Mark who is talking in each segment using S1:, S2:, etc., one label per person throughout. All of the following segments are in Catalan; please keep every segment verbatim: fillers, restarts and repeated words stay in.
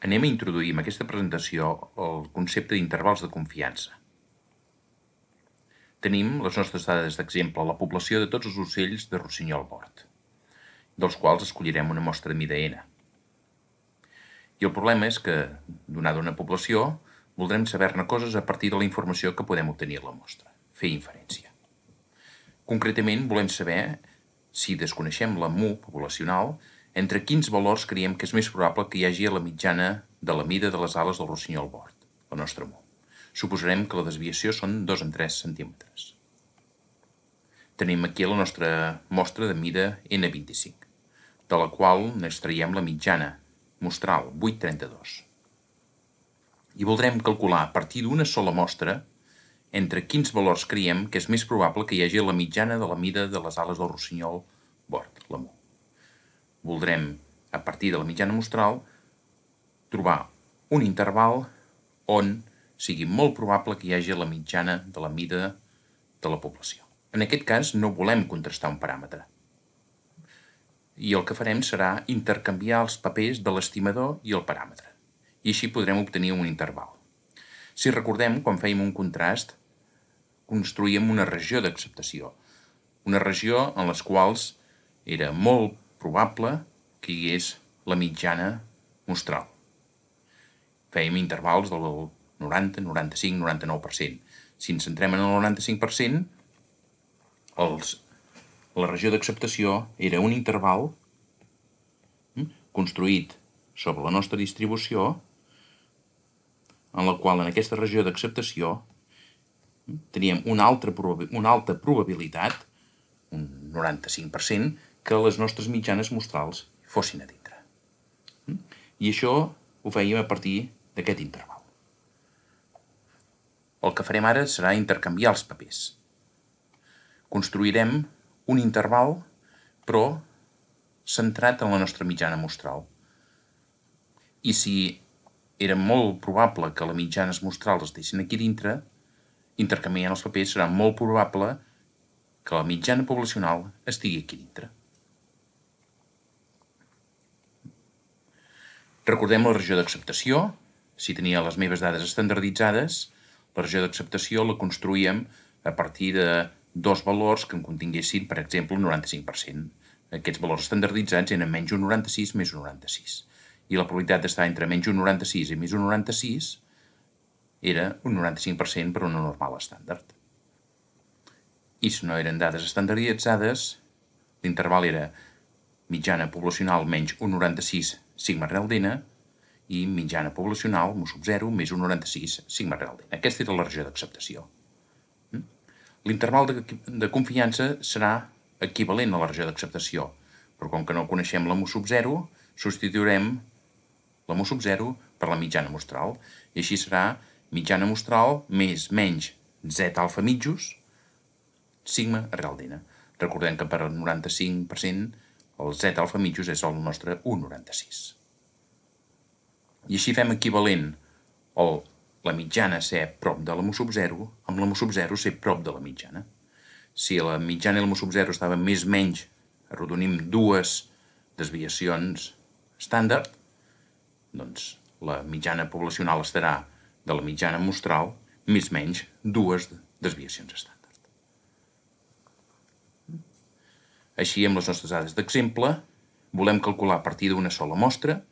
S1: Anem a introduir en aquesta presentació el concepte d'intervals de confiança. Tenim les nostres dades d'exemple, la població de tots els ocells de rossinyol bord, dels quals escollirem una mostra de mida N. I el problema és que, donada una població, voldrem saber-ne coses a partir de la informació que podem obtenir a la mostra, fer inferència. Concretament, volem saber, si desconeixem la mu poblacional, entre quins valors creiem que és més probable que hi hagi a la mitjana de la mida de les ales del rossinyol bord, la nostra mu. Suposarem que la desviació són dos en tres centímetres. Tenim aquí la nostra mostra de mida ena vint-i-cinc, de la qual n'extraiem la mitjana mostral, vuit coma trenta-dos. I voldrem calcular a partir d'una sola mostra entre quins valors creiem que és més probable que hi hagi la mitjana de la mida de les ales del rossinyol bord, la mu. Voldrem, a partir de la mitjana mostral, trobar un interval on sigui molt probable que hi hagi la mitjana de la mida de la població. En aquest cas no volem contrastar un paràmetre. I el que farem serà intercanviar els papers de l'estimador i el paràmetre. I així podrem obtenir un interval. Si recordem, quan fèiem un contrast, construïem una regió d'acceptació. Una regió en les quals era molt probable que hi hagués la mitjana mostral. Fèiem intervals del noranta, noranta-cinc, noranta-nou per cent. Si ens centrem en el noranta-cinc per cent, els, la regió d'acceptació era un interval construït sobre la nostra distribució, en la qual en aquesta regió d'acceptació teníem una altra, una alta probabilitat, un noranta-cinc per cent, que les nostres mitjanes mostrals fossin a dintre. I això ho fèiem a partir d'aquest interval. El que farem ara serà intercanviar els papers. Construirem un interval, però centrat en la nostra mitjana mostral. I si era molt probable que les mitjanes mostrals estiguessin aquí dintre, intercanviant els papers serà molt probable que la mitjana poblacional estigui aquí dintre. Recordem la regió d'acceptació. Si tenia les meves dades estandarditzades, la regió d'acceptació la construïem a partir de dos valors que en continguessin, per exemple, un noranta-cinc per cent. Aquests valors estandarditzats eren menys un noranta-sis més un noranta-sis. I la probabilitat d'estar entre menys un noranta-sis i més un noranta-sis era un noranta-cinc per cent per una normal estàndard. I si no eren dades estandarditzades, l'interval era mitjana poblacional menys un noranta-sis sigma real d'N i mitjana poblacional, mu sub zero, més un noranta-sis sigma real d'N. Aquesta era la regió d'acceptació. L'interval de, de confiança serà equivalent a la regió d'acceptació, però com que no coneixem la mu sub zero, substituirem la mu sub zero per la mitjana mostral, i així serà mitjana mostral més menys z alfa mitjos sigma real d'N. Recordem que per al noranta-cinc per cent el z alfa mitjos és el nostre un coma noranta-sis. I així fem equivalent el, la mitjana ser prop de la mu sub zero amb la mu sub zero ser prop de la mitjana. Si la mitjana i la mu sub zero estaven més o menys, arrodonim dues desviacions estàndard, doncs la mitjana poblacional estarà de la mitjana mostral més o menys dues desviacions estàndard. Així, amb les nostres dades d'exemple, volem calcular a partir d'una sola mostra,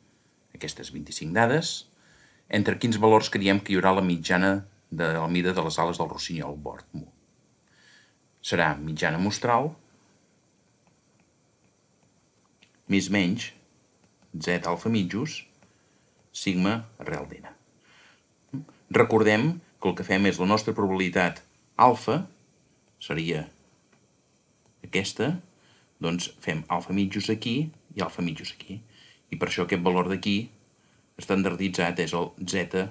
S1: aquestes vint-i-cinc dades, entre quins valors creiem que hi haurà la mitjana de la mida de les ales del rossinyol bord mu. Serà mitjana mostral més menys z alfa mitjos sigma real d'N. Recordem que el que fem és la nostra probabilitat alfa, seria aquesta, doncs fem alfa mitjos aquí i alfa mitjos aquí. I per això aquest valor d'aquí estandarditzat és el z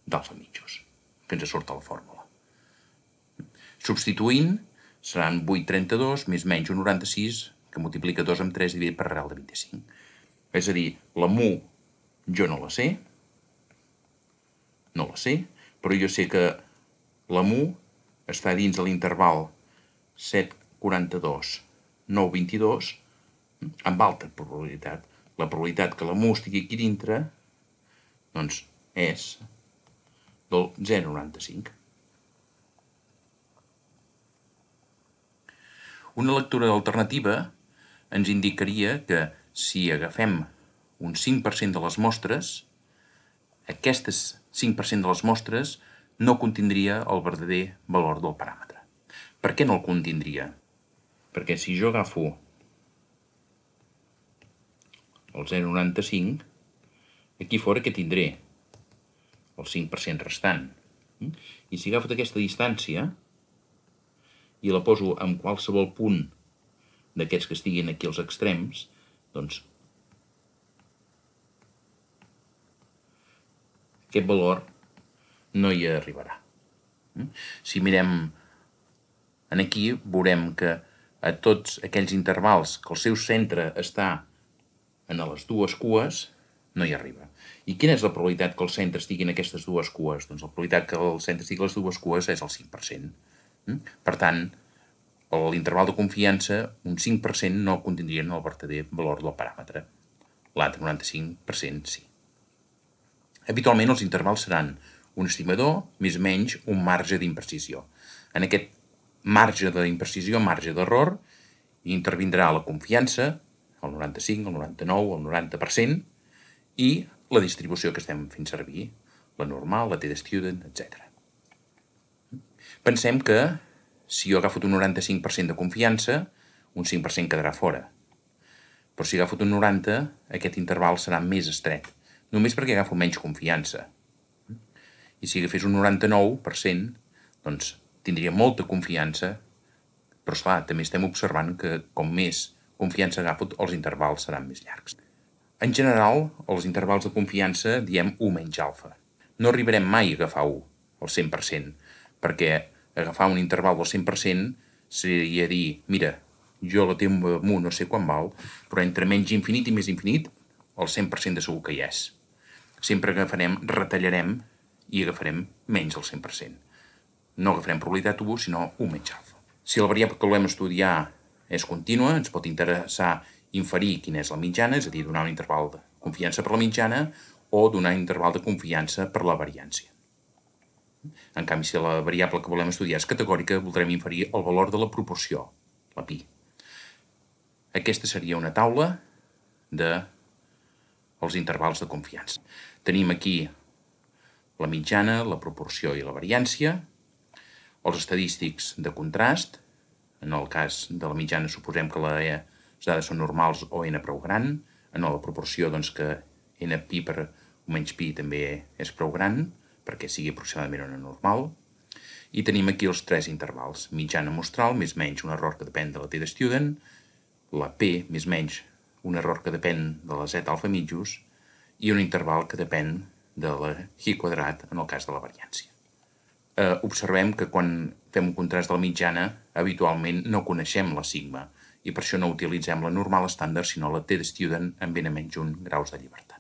S1: d'alfa mitjos, que ens surt a la fórmula. Substituint, seran vuit coma trenta-dos més menys un noranta-sis, que multiplica dos amb tres dividit per arrel de vint-i-cinc. És a dir, la mu jo no la sé, no la sé, però jo sé que la mu està dins de l'interval set coma quaranta-dos nou coma vint-i-dos amb alta probabilitat. La probabilitat que la mu estigui aquí dintre doncs, és del zero coma noranta-cinc. Una lectura alternativa ens indicaria que si agafem un cinc per cent de les mostres, aquestes cinc per cent de les mostres no contindria el verdader valor del paràmetre. Per què no el contindria? Perquè si jo agafo el zero coma noranta-cinc, aquí fora que tindré el cinc per cent restant. I si agafo aquesta distància i la poso en qualsevol punt d'aquests que estiguin aquí als extrems, doncs aquest valor no hi arribarà. Si mirem aquí, veurem que a tots aquells intervals que el seu centre està en les dues cues, no hi arriba. I quina és la probabilitat que el centre estigui en aquestes dues cues? Doncs la probabilitat que el centre estigui en les dues cues és el cinc per cent. Per tant, a l'interval de confiança, un cinc per cent no contindrien el verdader valor del paràmetre. L'altre noranta-cinc per cent sí. Habitualment els intervals seran un estimador més o menys un marge d'imprecisió. En aquest marge d'imprecisió, marge d'error, intervindrà la confiança, el noranta-cinc, el noranta-nou, el noranta per cent, i la distribució que estem fent servir, la normal, la t-student, etcètera. Pensem que si jo agafo un noranta-cinc per cent de confiança, un cinc per cent quedarà fora. Però si agafo un noranta, aquest interval serà més estret, només perquè agafo menys confiança. I si agafés un noranta-nou per cent, doncs tindria molta confiança, però esclar, també estem observant que com més confiança agafo, els intervals seran més llargs. En general, els intervals de confiança diem u menys alfa. No arribarem mai a agafar u, el cent per cent, perquè agafar un interval del cent per cent seria dir, mira, jo la tinc mu no sé quan val, però entre menys infinit i més infinit, el cent per cent de segur que hi és. Sempre agafarem, retallarem i agafarem menys del cent per cent. No agafarem probabilitat u, sinó u menys alfa. Si la variable que volem estudiar és contínua, ens pot interessar inferir quina és la mitjana, és a dir, donar un interval de confiança per la mitjana o donar un interval de confiança per la variància. En canvi, si la variable que volem estudiar és categòrica, voldrem inferir el valor de la proporció, la pi. Aquesta seria una taula dels intervals de confiança. Tenim aquí la mitjana, la proporció i la variància, els estadístics de contrast. En el cas de la mitjana suposem que les dades són normals o n prou gran. En la proporció, doncs, que n pi per u menys pi també és prou gran, perquè sigui aproximadament una normal. I tenim aquí els tres intervals. Mitjana mostral, més menys un error que depèn de la t-student, la p, més menys un error que depèn de la z alfa mitjos, i un interval que depèn de la hi quadrat en el cas de la variància. Eh, observem que quan fem un contrast de la mitjana, habitualment no coneixem la sigma, i per això no utilitzem la normal estàndard, sinó la t-student amb n menys un graus de llibertat.